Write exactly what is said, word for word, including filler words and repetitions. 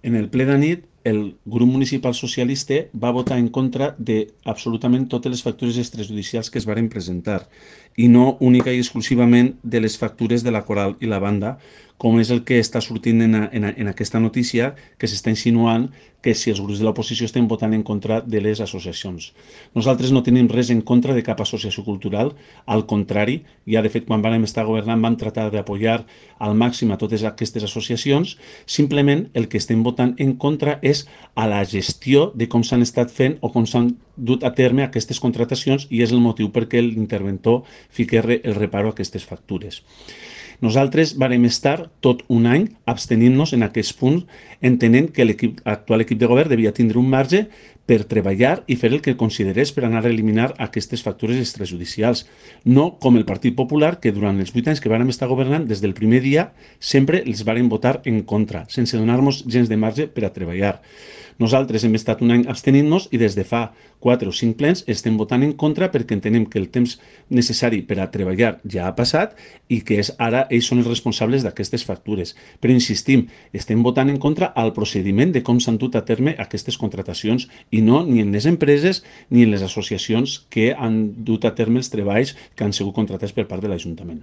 En el ple d'anit, el grup municipal socialista va votar en contra de absolutament totes les factures extrajudicials que es varen presentar i no única i exclusivament de les factures de la coral i la banda, com és el que està sortint en, a, en, a, en aquesta notícia, que s'està insinuant que si els grups de l'oposició estem votant en contra de les associacions. Nosaltres no tenim res en contra de cap associació cultural, al contrari, ja de fet quan vam estar governant vam tratar d'apoyar al màxim a totes aquestes associacions. Simplement el que estem votant en contra és a la gestió de com s'han estat fent o com s'han dut a terme aquestes contratacions, i és el motiu perquè l'interventor fiqui el reparo a aquestes factures. Nosaltres vàrem estar tot un any abstenint-nos en aquests punts, entenent que l'actual equip de govern devia tindre un marge per treballar i fer el que considerés per anar a eliminar aquestes factures extrajudicials. No com el Partit Popular, que durant els vuit anys que vàrem estar governant, des del primer dia, sempre els vàrem votar en contra, sense donar-nos gens de marge per a treballar. Nosaltres hem estat un any abstenint-nos i des de fa quatre o cinc plens estem votant en contra perquè entenem que el temps necessari per a treballar ja ha passat i que és ara ells són els responsables d'aquestes factures. Però insistim, estem votant en contra al procediment de com s'han dut a terme aquestes contratacions i no ni en les empreses ni en les associacions que han dut a terme els treballs que han sigut contratats per part de l'Ajuntament.